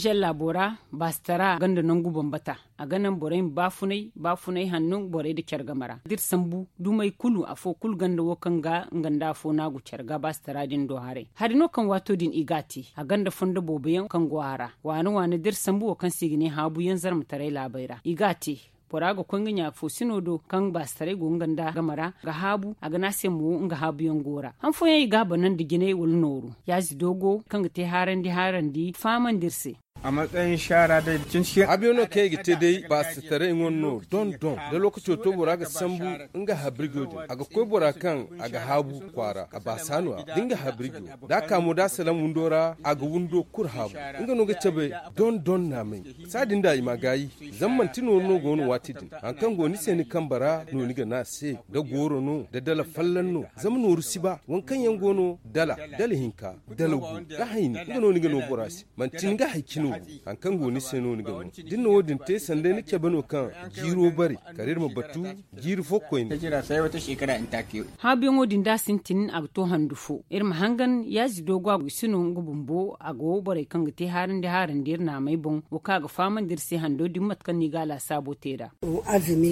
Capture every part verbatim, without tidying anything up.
Jalla bora baasitara ganda nangu bambata. A ga naŋ borey ma baafunay baafunay hanno borey nda care game ra da iri sambu dumey kulu afo kulu ganda wo kaŋ ga nga nda afo no a go care ga baasitara din do haray hari no kaŋ waato din i ga a te. A ganda fondo boobo yaŋ kaŋ go a ra waane waane da iri sambu wo kaŋ se i ga ne haabu yaŋ zarmataray laabey ra i ga a te. Bora ga koy nga ɲaafo sino do kaŋ baasitaray go nga nda game ra ga haabu a ga ne a se mo nga haabu yaŋ go ra han fooyaŋ i ga a banandi jinay wala nooru. Yaazi doogo kaŋ ga te haarandi haarandi fahamandi iri se. Haabu yaŋ no kaŋ i ga te day baasitaray ŋwa no don don da lookaco to bora ga sambu nga habirjo din a ga koy bora kaŋ a ga haabu kwaara a baasa no- ya da nga habirjo da a ka mo da a salaŋ windo ra a ga windo kulu haabu. Nga no ga cabe don don naamay. Saadin da i ma gaayi zama manti nooru no go no waati din. Hari kaŋ go ni se ni kambe ra no ni ga ne a se da gooro no da dala folloŋ no. Zama nooru si ba waŋ kaŋ yaŋ go no dala dala hinka dala gu da hayni nga no ni ga no bora se. Manti ni ga hari cino gu hari kaŋ go ni se no ni ga no da ni na wo- din te sanda ni cabe no kaŋ jiiro bare kala iri ma batu jiiri fo koyne. Haabuyaŋo din da a sintin a ga to handu fo iri ma hangan yaazi doogo a go i si no nga bumbo a go borey kaŋ ga te haarandi haarandi iri naamey boŋ wo kaŋ a ga fahamandi iri se hando din mate kaŋ no i ga a laasaabo te nd'a.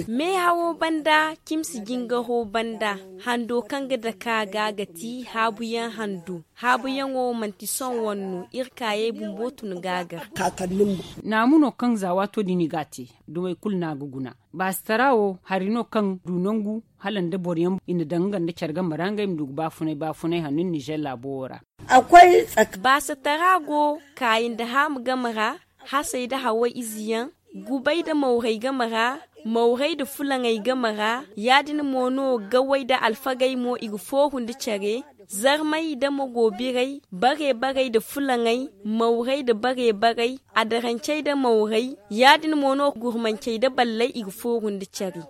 Meehawo banda cimsi jingaro banda hando kaŋ ga dake a ga ga ti haabuyaŋ hando. Haabuyaŋo manti sohõ wane no iri kaayey bumbo tun ga a gar. Naamu no kaŋ za waato din i ga a te dumey kulu no a ga guna. Baasitara wo hari no kaŋ du nangu hala nda boro yaŋ i na daŋ nga nda care game ra ngey ma du ga baafunay baafunay hanno nizer laabo wo ra. Baasitara go kaayi nda haamu game ra hasey nda haway ize yaŋ gubay nda mawrey game ra mawrey nda fulaŋey game ra. Ya- din mo no gawey nda alfagey mo i ga fooru nda care zarmay nda mago biray bare barey nda fulaŋey mawrey nda bare barey adarancey nda mawrey ya- din mo no gurmancey nda balley i ga fooru nda care.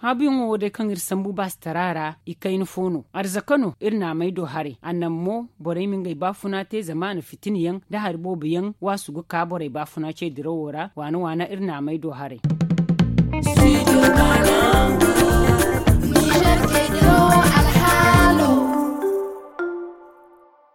Haabuyaŋo wo day kaŋ iri sambu baasitara ra i kayna fo no arzaka no iri naamey do haray a naŋ mo borey ma ngey baafuna te zama a na fitina yaŋ nda hari boobo yaŋ waasu ga ka borey baafuna ce dirawo ra waana waana iri naamey do haray.